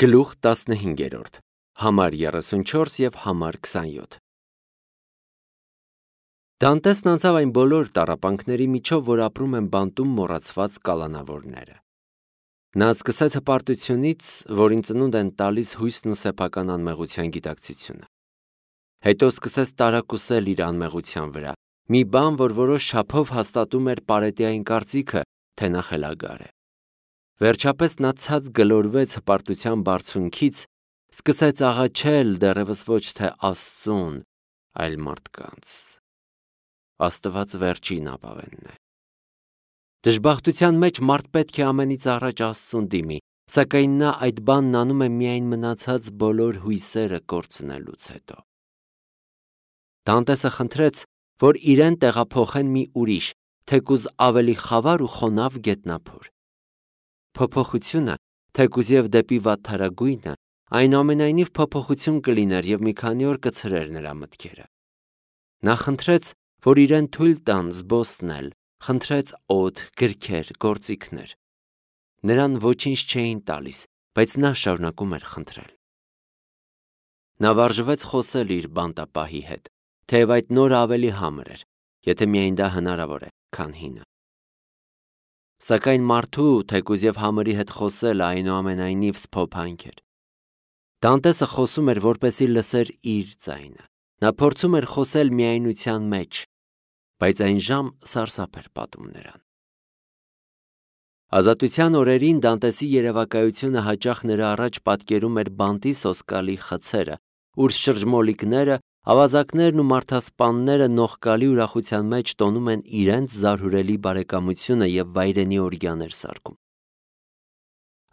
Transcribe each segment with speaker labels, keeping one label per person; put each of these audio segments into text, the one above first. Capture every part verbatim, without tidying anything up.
Speaker 1: Գլուխ տասնհինգերորդ, համար երեսունչորս և համար քսանյոթ։ Դանտեսն անցավ այն բոլոր տառապանքների միջով, որ ապրում են բանտում մոռացված կալանավորները։ Նա սկսեց հպարտությունից, որին ծնունդ են տալիս հույսն ու սեփական անմեղության գիտակցությունը։ Հետո սկսեց տարակուսել իր անմեղության վրա, մի բան, որ որոշ չափով հաստատում էր Պարետիային կարծիքը, թե նա խելագար է։ Վերջապես նա ցած գլորվեց հպարտության բարձունքից, սկսեց աղաչել դեռևս ոչ թե Աստծուն, այլ մարդկանց։ Աստված վերջին ապավենն է։ Դժբախտության մեջ մարդ պետք է ամենից առաջ Աստծուն դիմի, սակայն նա այդ բանն անում է միայն մնացած բոլոր հույսերը կորցնելուց հետո։ Դանտեսը խնդրեց, որ իրեն տեղափոխեն մի ուրիշ, թեկուզ ավելի խավար ու խոնավ գետնափոր։ Փոփոխությունը, թեկուզ և դեպի վատթարագույնը, այնուամենայնիվ փոփոխություն կլիներ և մի քանի օր կցրեր նրա մտքերը։ Նա խնդրեց, որ իրեն թույլ տան զբոսնել, խնդրեց օդ, գրքեր, գործիքներ։ Նրան ոչինչ չէին տալիս, բայց նա շարունակում էր խնդրել։ Նա վարժվեց խոսել իր բանտապահի հետ, թեև այդ նորը ավելի համր էր, եթե միայն դա հնարավոր է, քան հինը։ Սակայն մարդու, թեկուզ և համրի հետ խոսելը այնուամենայնիվ սփոփանք էր։ Դանտեսը խոսում էր, որպեսզի լսեր իր ձայնը։ Նա փորձում էր խոսել միայնության մեջ, բայց այն ժամ սարսափ էր պատում նրան։ Ազատության օրերին Դանտեսի երևակայությունը հաճախ նրա առաջ պատկերում էր բանտի սոսկալի խցերը, ուր շրջմոլիկները, ավազակներն ու մարդասպանները նողկալի ուրախության մեջ տոնում են իրենց զարհուրելի բարեկամությունը և վայրենի օրգյաներ սարքում։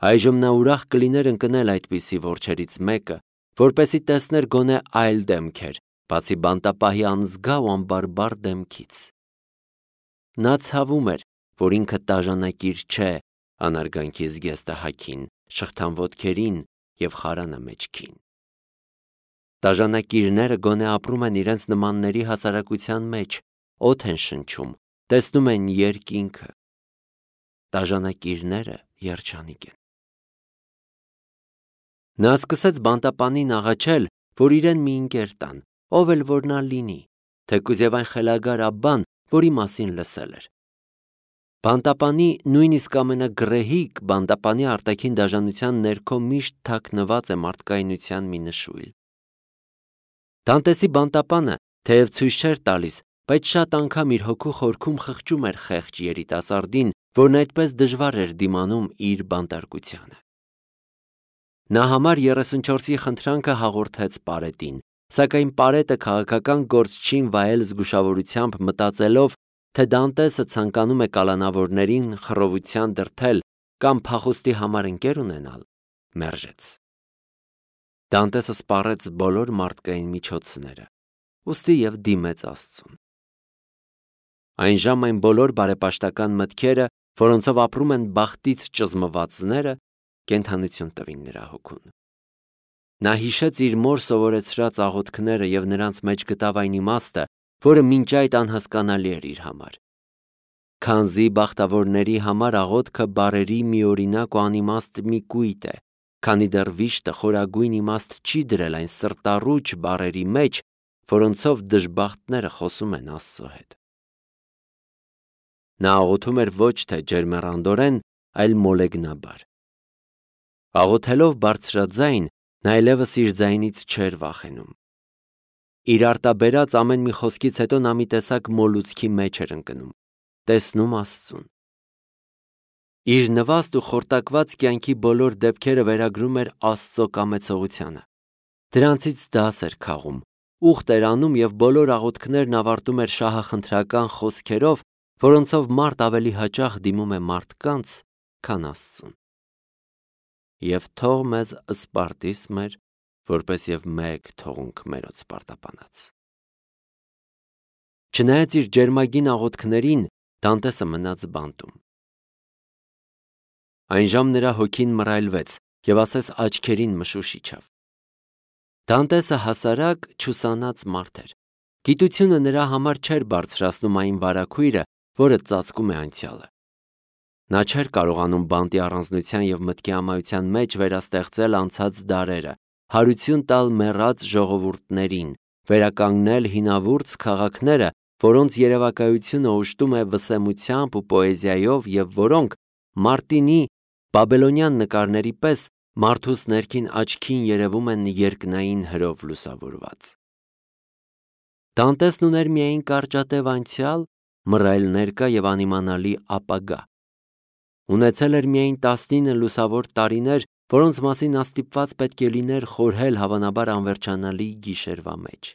Speaker 1: Այժմ նա ուրախ կլիներ ընկնել այդպիսի որջերից մեկը, որպեսզի տեսներ գոնե այլ դեմքեր, բացի բանտապահի անզգա ու անբարբար դեմքից։ Նա ցավում էր, որ ինքը տաժանակիր չէ անարգանքի զգեստը հագին, շղթան ոտքերին և խարանը մեջքին։ Տաժանակիրները գոնե ապրում են իրենց նմանների հասարակության մեջ, օդ են շնչում, տեսնում են երկինքը։ Տաժանակիրները երջանիկ են։ Նա սկսեց բանտապանին աղաչել, որ իրեն մի ընկեր տան, ով էլ որ նա լինի, թեկուզ և այն խելագար աբբան, որի մասին լսել էր։ Բանտապանի, նույնիսկ ամենագրեհիկ բանտապանի արտաքին դաժանության ներքո միշտ թաքնված է մարդկայնության մի նշույլ։ Դանտեսի բանտապանը, թեև ցույց չէր տալիս, բայց շատ անգամ իր հոգու խորքում խղճում էր խեղճ երիտասարդին, որն այդպես դժվար էր դիմանում իր բանտարկությանը։ Նա համար երեսունչորսի խնդրանքը հաղորդեց Պարետին, սակայն Պարետը քաղաքական գործչին վայել զգուշավորությամբ, մտածելով, թե Դանտեսը ցանկանում է կալանավորներին խռովության դրդել կամ փախուստի համար ընկեր ունենալ, մերժեց։ Դանտեսը սպառեց բոլոր մարդկային միջոցները, ուստի և դիմեց Աստծուն։ Այն ժամ այն բոլոր բարեպաշտական մտքերը, որոնցով ապրում են բախտից ճզմվածները, կենդանություն տվին նրա հոգուն։ Նա հիշեց իր մոր սովորեցրած աղոթքները և նրանց մեջ գտավ այն իմաստը, որը մինչ այդ անհասկանալի էր իր համար։ Քանզի բախտավորների համար աղոթքը բառերի միօրինակ ու անիմաստ մի կույտ է, քանի դեռ վիշտը խորագույն իմաստ չի դրել այն սրտառուչ բառերի մեջ, որոնցով դժբախտները խոսում են Աստծո հետ։ Նա աղոթում էր ոչ թե ջերմեռանդորեն, այլ մոլեգնաբար։ Աղոթելով բարձրաձայն, նա այլևս իր ձայնից չէր վախենում։ Իր արտաբերած ամեն մի խոսքից հետո նա մի տեսակ մոլուցքի մեջ էր ընկնում, տեսնում Աստծուն։ Իր նվաստ ու խորտակված կյանքի բոլոր դեպքերը վերագրում էր Աստծո կամեցողությանը։ Դրանցից դաս էր քաղում, ուխտ էր անում և բոլոր աղոթքներն ավարտում էր շահախնդրական խոսքերով, որոնցով մարդ ավելի հաճախ դիմում է մարդկանց, քան Աստծուն։ Եվ թող մեզ Սպարտիս մեր, որպես և մեկ թողունք մերոց պարտապանած։ Չնայած իր ջերմագին աղոթքներին, Դանտեսը մնաց բանտում։ Այն ժամ նրա հոգին մռայլվեց և ասես աչքերին մշուշ իջավ։ Դանտեսը հասարակ, չուսանած մարդ էր։ Գիտությունը նրա համար չէր բարձրացնում այն վարագույրը, որը ծածկում է անցյալը։ Նա չէր կարողանում բանտի առանձնության և մտքի ամայության մեջ վերաստեղծել անցած դարերը, հարություն տալ մեռած ժողովուրդներին, վերականգնել հինավուրց քաղաքները, որոնց երևակայությունը օժտում է վսեմությամբ ու պոեզիայով և որոնք Մարտինի բաբելոնյան նկարների պես մարդուս ներքին աչքին երևում են երկնային հրով լուսավորված։ Դանտեսն ուներ միայն կարճատև անցյալ, մռայլ ներկա և անիմանալի ապագա։ Ունեցել էր միայն տասնինը լուսավոր տարիներ, որոնց մասին նա ստիպված պետք է լիներ խորհել հավանաբար անվերջանալի գիշերվա մեջ։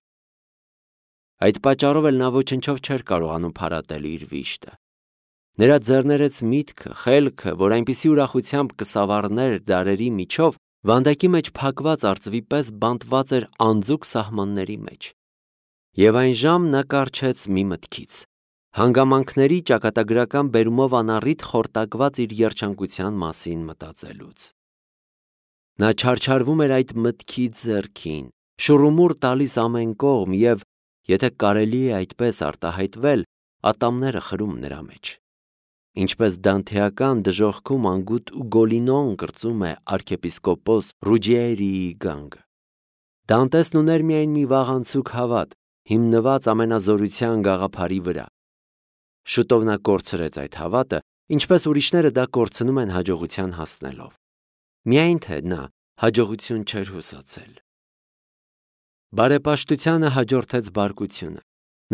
Speaker 1: Այդ պատճառով էլ նա ոչնչով չէր կարողանում փարատել իր վիշտը։ Նրա ձեռներեց միտքը, խելքը, որ այնպիսի ուրախությամբ կսավառներ դարերի միջով, վանդակի մեջ փակված արծվի պես բանտված էր անձուկ սահմանների մեջ։ Եվ այն ժամ նա կառչեց մի մտքից, հանգամանքների ճակատագրական բերումով անառիթ խորտակված իր երջանկության մասին մտածելուց։ Նա չարչարվում էր այդ մտքի ձեռքին, շուռումուռ տալիս ամեն կողմ և, եթե կարելի է այդպես արտահայտվել, ատամները խրում նրա մեջ։ Ինչպես դանթեական դժոխքում անգութ Ուգոլինոն կրծում է arczepiskopos Ռուջիերիի գանգը։ Դանտեսն ուներ միայն մի վաղանցուկ հավատ, հիմնված ամենազորության գաղափարի վրա։ Շուտով նա կորցրեց այդ հավատը, ինչպես ուրիշները դա կորցնում են հաջողության հասնելով։ Միայն թե նա հաջողություն չէր հուսացել։ Բարեպաշտությանը հաջորդեց բարկությունը։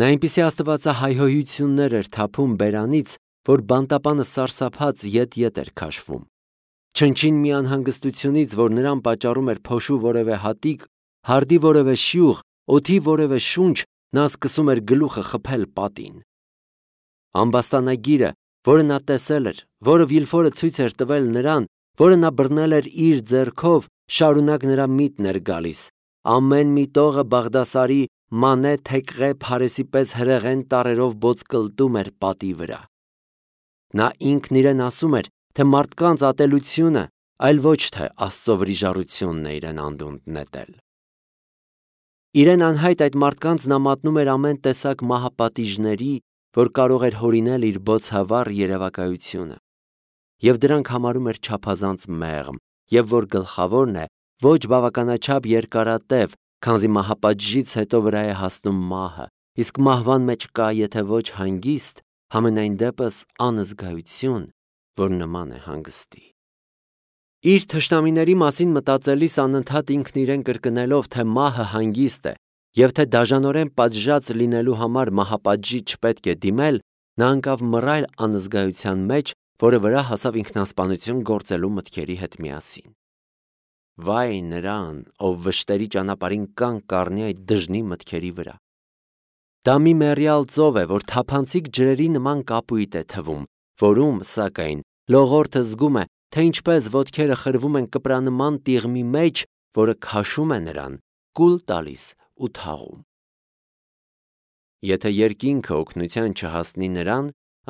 Speaker 1: Նա այնպիսի աստվածահայհոյություններ էր թափում բերանից, որ բանտապանը սարսափած ետ-ետ էր քաշվում։ Չնչին մի անհանգստությունից, որ նրան պատճառում էր փոշու որևէ հատիկ, հարդի որևէ շյուղ, օդի որևէ շունչ, նա սկսում էր գլուխը խփել պատին։ Ամբաստանագիրը, որը նա տեսել էր, որը Վիլֆորը ցույց էր տվել նրան, որը նա բռնել էր իր ձեռքով, շարունակ նրա միտն էր գալիս։ Ամեն մի տողը Բաղդասարի Մանե Թեքղե Փարեսի պես հրեղեն տառերով ոտկլտում էր պատի վրա։ Նա ինքն իրեն ասում էր, թե մարդկանց ատելությունը, այլ ոչ թե Աստծո վրիժառությունն է իրեն անդունդ նետել։ Իրեն անհայտ այդ մարդկանց նա մատնում էր ամեն տեսակ մահապատիժների, որ կարող էր հորինել իր բոցավառ երևակայությունը, և դրանք համարում էր չափազանց մեղմ, և որ գլխավորն է, ոչ բավականաչափ երկարատև, քանզի մահապատժից հետո վրա է հասնում մահը, իսկ մահվան մեջ կա, եթե ոչ հանգիստ, համենայն դեպս անզգայություն, որ նման է հանգստի։ Իր թշնամիների մասին մտածելիս անընդհատ ինքն իրեն կրկնելով, թե մահը հանգիստ է, և թե դաժանորեն պատժած լինելու համար մահապատժի չպետք է դիմել, նա ընկավ մռայլ անզգայության մեջ, որը վրա հասավ ինքնասպանություն գործելու մտքերի հետ միասին։ Վայ նրան, ով վշտերի ճանապարհին կանգ կառնի այդ դժնի մտքերի վրա։ Դա մի մեռյալ ծով է, որ թափանցիկ ջրերի նման կապույտ է թվում, որում, սակայն, լողորդը զգում է, թե ինչպես ոտքերը խրվում են կպրանման տիղմի մեջ, որը քաշում է նրան, կուլ տալիս ու թաղում։ Եթե երկինքը օգնության չհասնի նրան,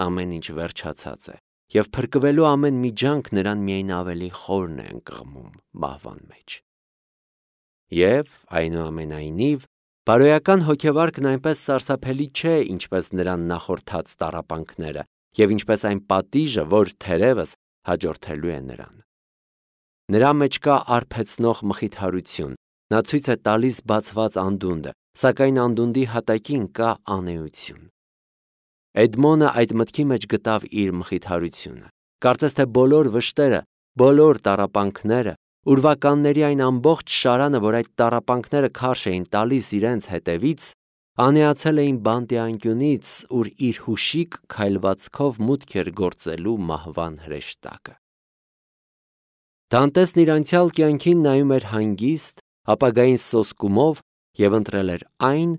Speaker 1: ամեն ինչ վերջացած է, և փրկվելու ամեն մի ջանք նրան միայն ավելի խորն է ընկղմում մահվան մեջ։ Եվ, այնուամենայնիվ, բարոյական հոգեվարկն այնպես սարսափելի չէ, ինչպես նրան նախորդած տառապանքները, և ինչպես այն պատիժը, որ թերևս հաջորդելու է նրան։ Նրա մեջ կա արբեցնող մխիթարություն, նա ցույց է տալիս բացված անդունդը, սակայն անդունդի հատակին կա անէություն։ Էդմոնը այդ մտքի մեջ գտավ իր մխիթարությունը։ Կարծես թե բոլոր վշտերը, բոլոր տառապանքները, ուրվականների այն ամբողջ շարանը, որ այդ տառապանքները քարշ էին տալիս իրենց հետևից, անեացել էին բանտի անկյունից, ուր իր հուշիկ քայլվածքով մուտք էր գործելու մահվան հրեշտակը։ Դանտեսն իր անցյալ կյանքին նայում էր հանգիստ, ապագային սոսկումով և ընտրել էր այն,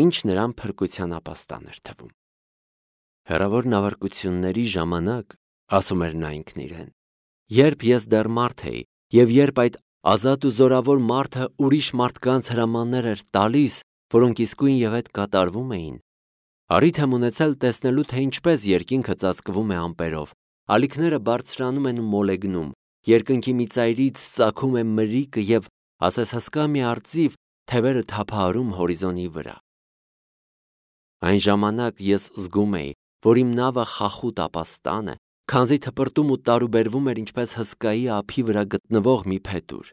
Speaker 1: ինչ նրան փրկության ապաստան էր թվում։ Հեռավոր նավարկությունների ժամանակ, ասում էր նա ինքն իրեն, երբ ես դեռ մարդ էի, և երբ այդ ազատ ու զորավոր մարդը ուրիշ մարդկանց հրամաններ էր տալիս, որոնք իսկույն և հետ կատարվում էին, առիթ եմ ունեցել տեսնելու, թե ինչպես երկինքը ծածկվում է ամպերով, ալիքները բարձրանում են ու մոլեգնում, երկնքի մի ծայրից ծագում է մրրիկը և, ասես հսկա մի արծիվ, թևերը թափահարում հորիզոնի վրա։ Այն ժամանակ ես զգում էի, որ իմ նավը խախուտ ապաստան է, քանզի թպրտում ու տարուբերվում էր ինչպես հսկայի ափի վրա գտնվող մի փետուր։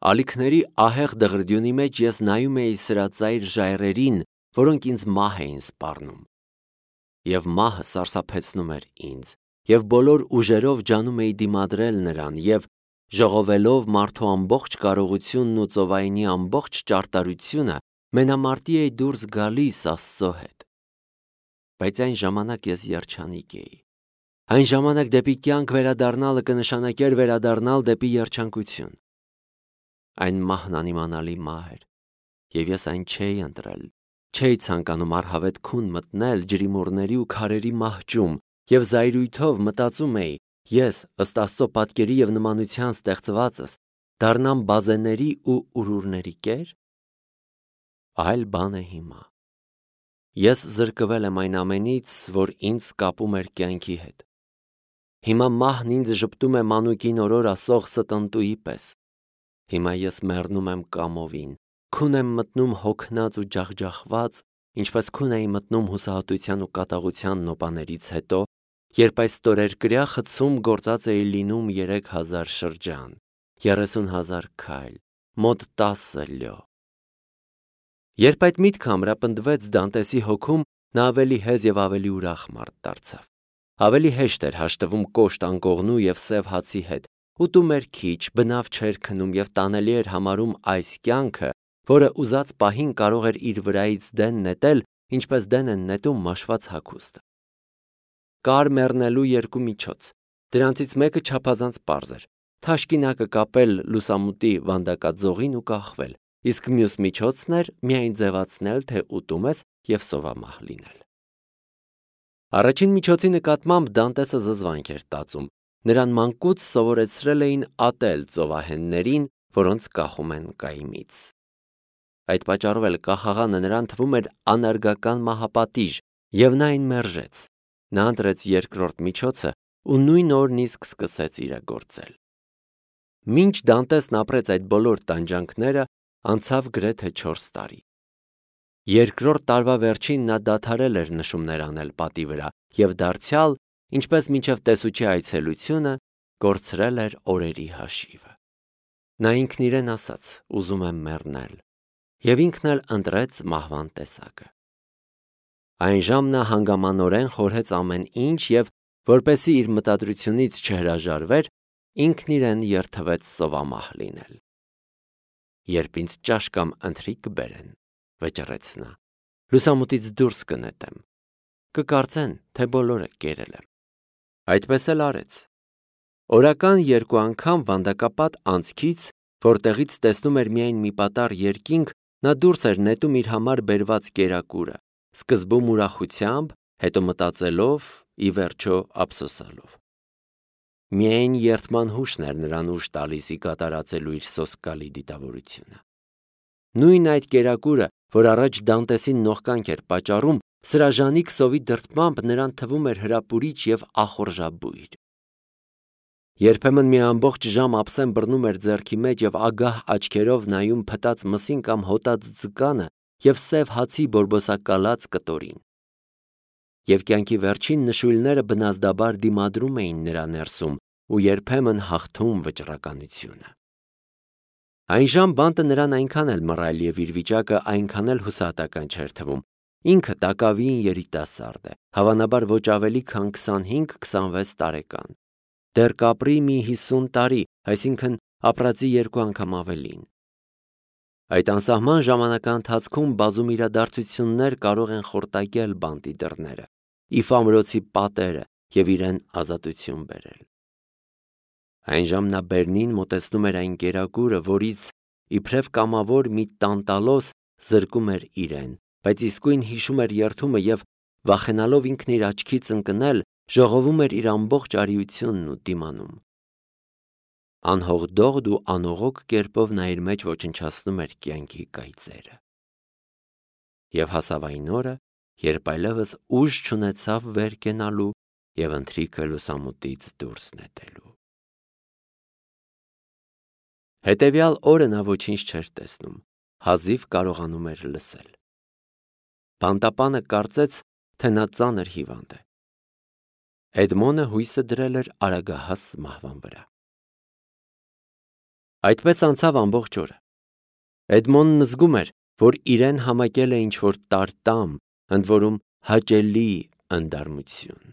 Speaker 1: Ալիքների ահեղ դղրդյունի մեջ ես նայում էի սրա ծայր ժայռերին, որոնք ինձ մահ էին սպառնում։ Եվ մահը սարսափեցնում էր ինձ, և բոլոր ուժերով ջանում էի դիմադրել նրան, և ժողովելով մարդու ամբողջ կարողությունն ու ծովայինի ամբողջ ճարտարությունը, մենամարտի էի դուրս գալիս Աստծո հետ։ Բայց այն ժամանակ ես երջանիկ էի։ Այն ժամանակ դեպի կյանք վերադառնալը կնշանակեր վերադառնալ դեպի երջանկություն։ Այն մահն անիմանալի մահ էր, և ես այն չէի ընտրել, չէի ցանկանում առհավետ քուն մտնել ջրիմուռների ու քարերի մահճում, և զայրույթով մտածում էի, ես, ըստ Աստծո պատկերի և նմանության ստեղծվածս, դառնամ բազեների ու ուրուրների կեր։ Այլ բան է հիմա։ Ես զրկվել եմ այն ամենից, որ ինձ կապում էր կյանքի հետ։ Հիմա մահն ինձ ժպտում է մանուկին օրոր ասող ստընտուի պես։ Հիմա ես մեռնում եմ կամովին, քուն եմ մտնում հոգնած ու ջախջախված, ինչպես քուն էի մտնում հուսահատության ու կատաղության նոպաներից հետո, երբ այս ստորերկրյա խցում գործած էի լինում երեք հազար շրջան, երեսուն հազար քայլ, մոտ տասը լյո։ Երբ այդ միտքը ամրապնդվեց Դանտեսի հոգում, նա ավելի հեզ և ավելի ուրախ մարդ դարձավ։ Ավելի հեշտ էր հաշտվում կոշտ անկողնու և սև հացի հետ, ուտում էր քիչ, բնավ չէր քնում և տանելի էր համարում այս կյանքը, որը ուզած պահին կարող էր իր վրայից դեն նետել, ինչպես դեն են նետում մաշված հագուստը։ Կար մեռնելու երկու միջոց, դրանցից մեկը չափազանց պարզ էր՝ թաշկինակը կապել լուսամուտի վանդակաձողին ու կախվել, իսկ մյուս միջոցն էր միայն ձևացնել, թե ուտում ես և սովամահ լինել։ Առաջին միջոցի նկատմամբ Դանտեսը զզվանք էր տածում, նրան մանկուց սովորեցրել էին ատել ծովահեններին, որոնց կախում են կայմից։ Այդ պատճառով էլ կախաղանը նրան թվում էր անարգական մահապատիժ, և նա այն մերժեց։ Նա ընտրեց երկրորդ միջոցը ու նույն օրն իսկ սկսեց իրագործել։ Մինչ Դանտեսն ապրեց այդ բոլոր տանջանքները, անցավ գրեթե չորս տարի։ Երկրորդ տարվա վերջին նա դադարել էր նշումներ անել պատի վրա և դարձյալ, ինչպես մինչև տեսուչի այցելությունը, կորցրել էր օրերի հաշիվը։ Նա ինքն իրեն ասաց. «Ուզում եմ մեռնել», և ինքն էլ ընտրեց մահվան տեսակը։ Այնժամ նա հանգամանորեն խորհեց ամեն ինչ և, որպեսզի իր մտադրությունից չհրաժարվեր, ինքն իրեն երդվեց սովամահ լինել։ «Երբ ինձ ճաշ կամ ընթրիք կբերեն, ֊ վճռեց նա, ֊ լուսամուտից դուրս կնետեմ, կկարծեն, թե բոլորը կերել եմ»։ Այդպես էլ արեց։ Օրական երկու անգամ վանդակապատ անցքից, որտեղից տեսնում էր միայն մի պատառ երկինք, նա դուրս էր նետում իր համար բերված կերակուրը, սկզբում ուրախությամբ, հետո մտածելով, ի վերջո ափսոսալով։ Միայն երդման հուշն էր նրան ուժ տալիս ի կատարածելու իր սոսկալի դիտավորությունը։ Նույն այդ կերակուրը, որ առաջ Դանտեսին նողկանք էր պատճառում, սրաժանիկ սովի դրդմամբ նրան թվում էր հրապուրիչ և ախորժաբույր։ Երբեմն մի ամբողջ ժամ ափսեն բռնում էր ձեռքի մեջ և ագահ աչքերով նայում փտած մսին կամ հոտած ձկանը և սև հացի բորբոսակալած կտորին։ Եվ կյանքի վերջին նշույլները բնազդաբար դիմադրում էին նրա ներսում ու երբեմն հաղթում վճռականությունը։ Այնժամ բանտը նրան այնքան էլ մռայլ և իր վիճակը այնքան էլ հուսահատական չէր թվում։ Ինքը տակավին երիտասարդ է, հավանաբար ոչ ավելի քան քսանհինգ-քսանվեց տարեկան։ Դեռ կապրի մի հիսուն տարի, այսինքն ապրածի երկու անգամ ավելին։ Այդ անսահման ժամանակաընթացքում բազում իրադարձություններ կարող են խորտակել բանտի դռները, իֆ ամրոցի պատերը և իրեն ազատություն բերել։ Այնժամ նա բերնին մոտեցնում էր այն կերակուրը, որից իբրև կամավոր մի տանտալոս զրկում էր իրեն, բայց իսկույն հիշում էր երդումը և, վախենալով ինքն իր աչքից ընկնել, ժողովում էր իր ամբողջ արիությունն ու դիմանում։ Անհողդողդ ու անողոք կերպով նա իր մեջ ոչնչացնում էր կյանքի կայծերը։ Եվ հասավ այն օրը, երբ այլևս ուժ չունեցավ վեր կենալու և ընթրիքը լուսամուտից դուրս նետելու։ Հետևյալ օրը նա ոչինչ չէր տեսնում, հազիվ կարողանում էր լսել։ Բանտապանը կարծեց, թե նա ծանր հիվանդ է։ Էդմոնը հույսը դրել էր արագահաս մահվան վրա։ Այդպես անցավ ամբողջ օրը։ Էդմոնն զգում էր, որ իրեն համակել է ինչ-որ տարտամ, ընդ որում հաճելի ընդարմություն։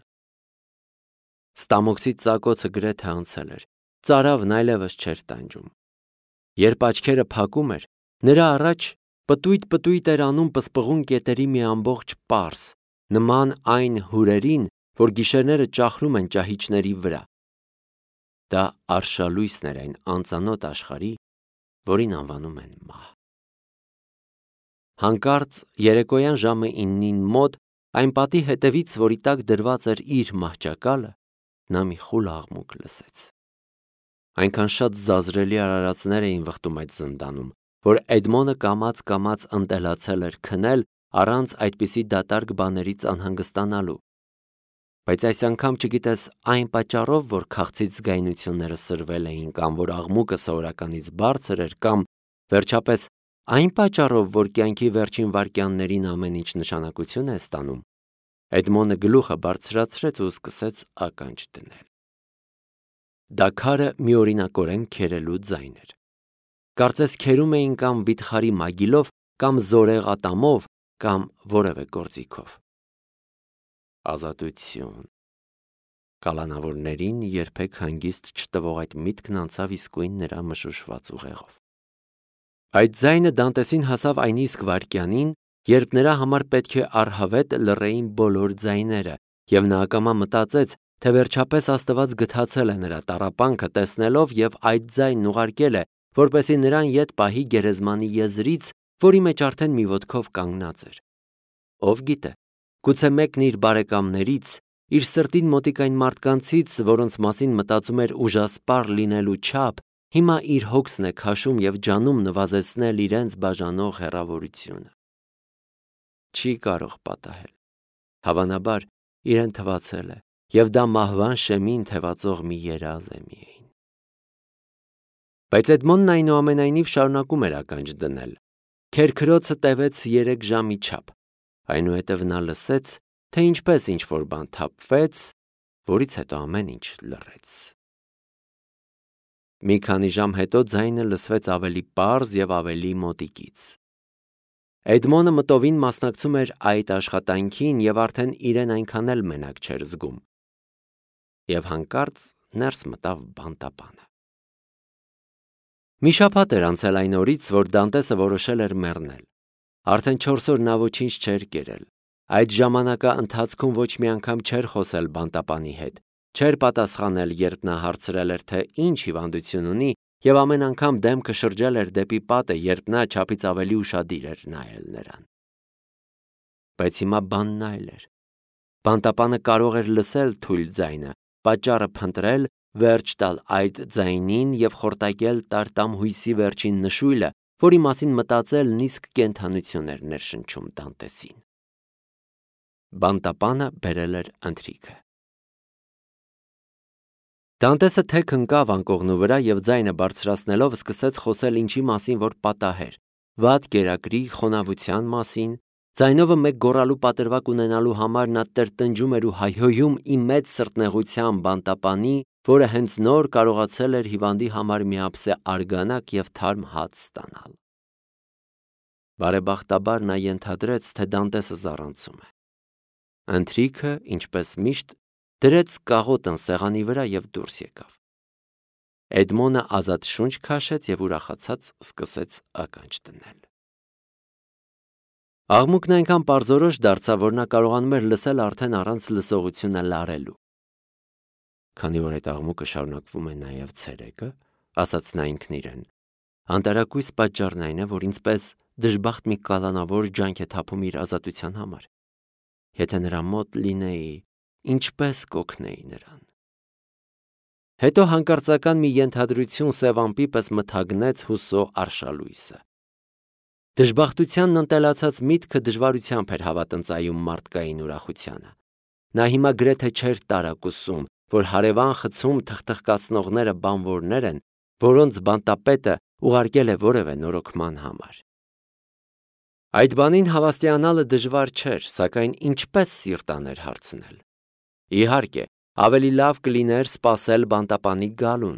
Speaker 1: Ստամոքսի ծակոցը գրեթե անցել էր, ծարավն այլևս չէր տանջում։ Երբ աչքերը փակում էր, նրա առաջ պտույտ-պտույտ էր անում պսպղուն կետերի մի ամբողջ պարս, նման այն հուրերին, որ գիշերները ճախրում են ճահիճների վրա։ Դա արշալույսն էր այն անծանոթ աշխարհի, որին անվանում են մահ։ Հանկարծ երեկոյան ժամը իննին մոտ այն պատի հետևից, որի տակ դրված էր իր մահճակալը, նա մի խուլ աղմուկ լսեց։ Այնքան շատ զազրելի արարածներ էին վխտում այդ զնդանում, որ Էդմոնը կամաց-կամաց ընտելացել էր քնել առանց այդպիսի դատարկ բաներից անհանգստանալու։ Բայց այս անգամ չգիտես այն պատճառով, որ քաղցից զգայունությունները սրվել էին, կամ որ աղմուկը սովորականից բարձր էր, կամ վերջապես այն պատճառով, որ կյանքի վերջին վայրկյաններին ամեն ինչ նշանակություն է ստանում, Էդմոնը գլուխը բարձրացրեց ու սկսեց ականջ դնել։ Դա քարը միօրինակորեն քերելու ձայն էր։ Կարծես քերում էին կամ վիթխարի մագիլով, կամ զորեղ ատամով, կամ որևէ գործիքով։ Ազատություն։ Կալանավորներին երբեք հանգիստ չտվող այդ միտքն անցավ իսկույն նրա մշուշված ուղեղով։ Այդ ձայնը Դանտեսին հասավ այն իսկ վայրկյանին, երբ նրա համար պետք է առհավետ լռեին բոլոր ձայները, և նա ակամա մտածեց, թե վերջապես Աստված գթացել է նրա տառապանքը տեսնելով և այդ ձայնն ուղարկել է, որպեսզի նրան ետ պահի գերեզմանի եզրից, որի մեջ արդեն մի ոտքով կանգնած էր։ Ով գիտե, գուցե մեկն իր բարեկամներից, իր սրտին մոտիկ այն մարդկանցից, որոնց մասին մտածում էր ուժասպառ լինելու չափ, հիմա իր հոգսն է քաշում և ջանում նվազեցնել իրենց բաժանող հեռավորությունը։ Չի կարող պատահել։ Հավանաբար իրեն թվացել է, և դա մահվան շեմին թևածող մի երազ է միայն։ Բայց Էդմոնն այնուամենայնիվ շարունակում էր ականջ դնել։ Քերքրոցը տևեց երեք ժամի չափ, այնուհետև նա լսեց, թե ինչպես ինչ-որ բան թափվեց, որից հետո ամեն ինչ լռեց։ Մի քանի ժամ հետո ձայնը լսվեց ավելի պարզ և ավելի մոտիկից։ Էդմոնը մտովին մասնակցում էր այդ աշխատանքին և արդեն իրեն այնքան էլ մենակ չէր զգում։ Եվ հանկարծ ներս մտավ բանտապանը։ Մի շաբաթ էր անցել այն օրից, որ Դանտեսը որոշել էր մեռնել։ Արդեն չորս օր նա ոչինչ չէր կերել։ Այդ ժամանակա ընթացքում ոչ մի անգամ չէր խոսել բանտապանի հետ, չէր պատասխանել, երբ նա հարցրել էր, թե ինչ հիվանդություն ունի, և ամեն անգամ դեմքը շրջել էր դեպի պատը, երբ նա չափից ավելի ուշադիր էր նայել նրան։ Բայց հիմա բանն այլ էր։ Բանտապանը կարող էր լսել թույլ ձայնը, պատճառը փնտրել, վերջ տալ այդ ձայնին և խորտակել տարտամ հույսի վերջին նշույլը, որի մասին մտածելն իսկ կենդանություն էր ներշնչում Դանտեսին։ Բանտապանը բերել էր ընթրիքը։ Դանտեսը թեք ընկավ անկողնու վրա և ձայնը բարձրացնելով սկսեց խոսել ինչի մասին որ պատահեր, վատ կերակրի, խոնավության մասին, ձայնովը մեկ գոռալու պատրվակ ունենալու համար նա տրտնջում էր ու հայհոյում ի մեծ սրտնեղության բանտապանի, որը հենց նոր կարողացել էր հիվանդի համար միապսե արգանակ և թարմ հաց ստանալ։ Բարեբախտաբար նա ենթադրեց, թե Դանտեսը զառանցում է։ Ընթրիքը, ինչպես միշտ, դրեց կաղոտն սեղանի վրա և դուրս եկավ։ Էդմոնը ազատ շունչ քաշեց և ուրախացած սկսեց ականջ դնել։ Աղմուկն այնքան պարզորոշ դարձավ, որ նա կարողանում էր լսել արդեն առանց լսողությունը լարելու։ Քանի որ այդ աղմուկը շարունակվում է նաև ցերեկը, ասաց նա ինքն իրեն, անտարակույս պատճառն այն է, որ ինձպես դժբախտ մի կալանավոր ջանք է թափում իր ազատության համար։ Եթե նրա մոտ լինեի, ինչպես կօգնեի նրան։ Հետո հանկարծական մի ենթադրություն սև ամպի պես մթագնեց հուսո արշալույսը։ Դժբախտությանն ընտելացած միտքը դժվարությամբ էր հավատնծայում մարդկային ուրախությանը։ Նա հիմա գրեթե չէր տարակուսում, որ հարևան խցում թխթխկացնողները բանվորներ են, որոնց բանտապետը ուղարկել է որևէ նորոգման համար։ Այդ բանին հավաստիանալը դժվար չէր, սակայն ինչպես սիրտ աներ հարցնել։ Իհարկե, Ավելի լավ կլիներ սպասել բանտապանի գալուն,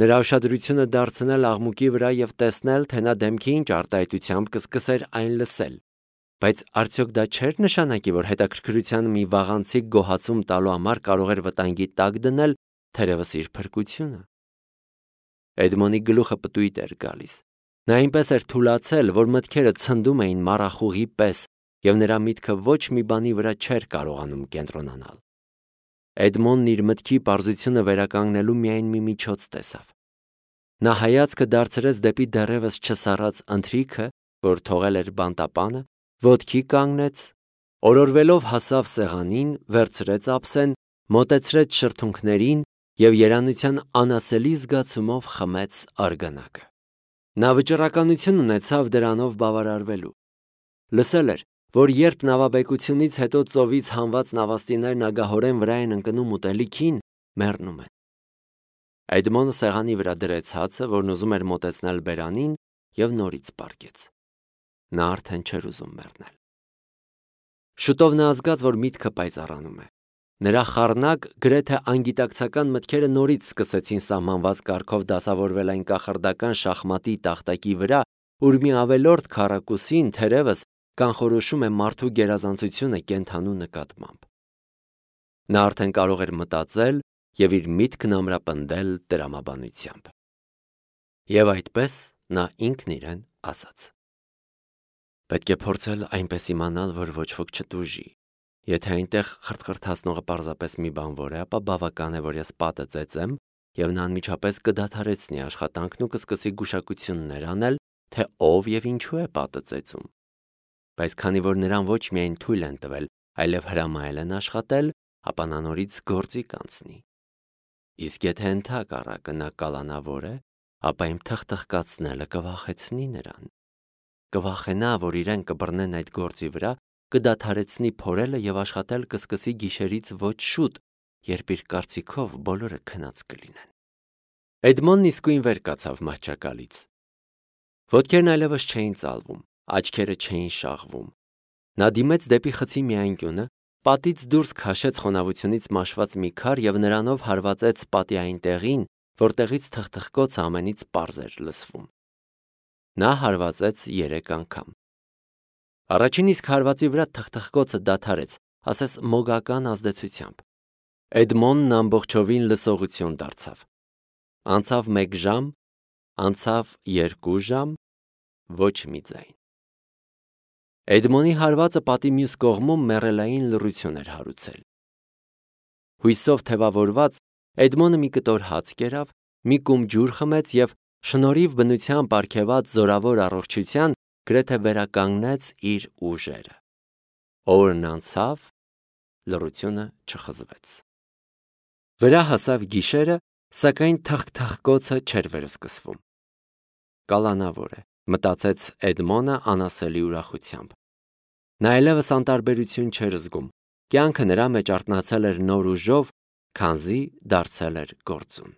Speaker 1: նրա ուշադրությունը դարձնել աղմուկի վրա և տեսնել, թե նա դեմքի ինչ արտահայտությամբ կսկսեր այն լսել, բայց արդյոք դա չէր նշանակի, որ հետաքրքրության մի վաղանցիկ գոհացում տալու համար կարող էր վտանգի տակ դնել թերևս իր փրկությունը։ Էդմոնի գլուխը պտույտ էր գալիս։ Նա այնպես էր թուլացել, որ մտքերը ցնդում էին մառախուղի պես, և նրա միտքը ոչ մի բանի վրա չէր կարողանում կենտրոնանալ։ Էդմոնն իր մտքի պարզությունը վերականգնելու միայն մի միջոց տեսավ։ Նա հայացքը դարձրեց դեպի դեռևս չսառած ընթրիքը, որ թողել էր բանտապանը, ոտքի կանգնեց, օրորվելով հասավ սեղանին, վերցրեց ափսեն, մոտեցրեց շրթունքներին և երանության անասելի զգացումով խմեց արգանակը։ Նա վճռականություն ունեցավ դրանով բավարարվելու։ Լսել էր, որ երբ նավաբեկությունից հետո ծովից հանված նավաստիներն ագահորեն վրա են ընկնում ուտելիքին, մեռնում են։ Էդմոնը սեղանի վրա դրեց հացը, որն ուզում էր մոտեցնել բերանին, և նորից պառկեց։ Նա արդեն չէր ուզում մեռնել։ Շուտով նա զգաց, որ միտքը պայծառանում է։ Նրա խառնակ, գրեթե անգիտակցական մտքերը նորից սկսեցին սահմանված կարգով դասավորվել այն կախարդական շախմատի տախտակի վրա, ուր մի ավելորդ քառակուսին թերևս կանխորոշում է մարդու գերազանցությունը կենդանու նկատմամբ։ Նա արդեն կարող էր մտածել և իր միտքն ամրապնդել տրամաբանությամբ։ Եվ այդպես նա ինքն իրեն ասաց. «Պետք է փորձել այնպես իմանալ, որ ոչ ոք չտուժի։ Եթե այնտեղ խրթխրթացնողը պարզապես մի բանվոր է, ապա բավական է, որ ես պատը ծեծեմ, և նա անմիջապես կդադարեցնի աշխատանքն ու կսկսի գուշակություններ անել, թե ով և ինչու է պատը ծեծում։ Բայց քանի որ նրան ոչ միայն թույլ են տվել, այլև հրամայել են աշխատել, ապա նա նորից գործի կանցնի։ Իսկ եթե ընդհակառակը նա կալանավոր է, ապա իմ թխթխկացնելը կվախեցնի նրան։ Կվախենա, որ իրեն կբռնեն այդ գործի վրա, կդադարեցնի փորելը և աշխատել կսկսի գիշերից ոչ շուտ, երբ իր կարծիքով բոլորը քնած կլինեն»։ Էդմոնն իսկույն վեր կացավ մահճակալից։ Ոտքերն այլևս չէին ծալվում, աչքերը չէին շաղվում։ Նա դիմեց դեպի խցի մի անկյունը, պատից դուրս քաշեց խոնավությունից մաշված մի քար և նրանով հարվածեց պատի այն տեղին, որտեղից թխթխկոցը ամենից պարզ էր լսվում։ Նա հարվածեց երեք անգամ։ Առաջին իսկ հարվածի վրա թխթխկոցը դադարեց, ասես մոգական ազդեցությամբ։ Էդմոնն ամբողջովին լսողություն դարձավ։ Անցավ մեկ ժամ, անցավ երկու ժամ, ոչ մի ձայն։ Էդմոնի հարվածը պատի մյուս կողմում մեռելային լռություն էր հարուցել։ Հույսով թևավորված Էդմոնը մի կտոր հաց կերավ, մի կում ջուր խմեց և շնորհիվ բնության պարգևած զորավոր առողջության գրեթե վերականգնեց իր ուժերը։ Օրն անցավ, լռությունը չխզվեց։ Վրա հասավ գիշերը, սակայն թխթխկոցը չէր վերսկսվում։ Կալանավոր է, մտածեց Էդմոնը անասելի ուրախությամբ։ Նա այլևս անտարբերություն չէր զգում, կյանքը նրա մեջ արթնացել էր նոր ուժով, քանզի դարձել էր գործուն։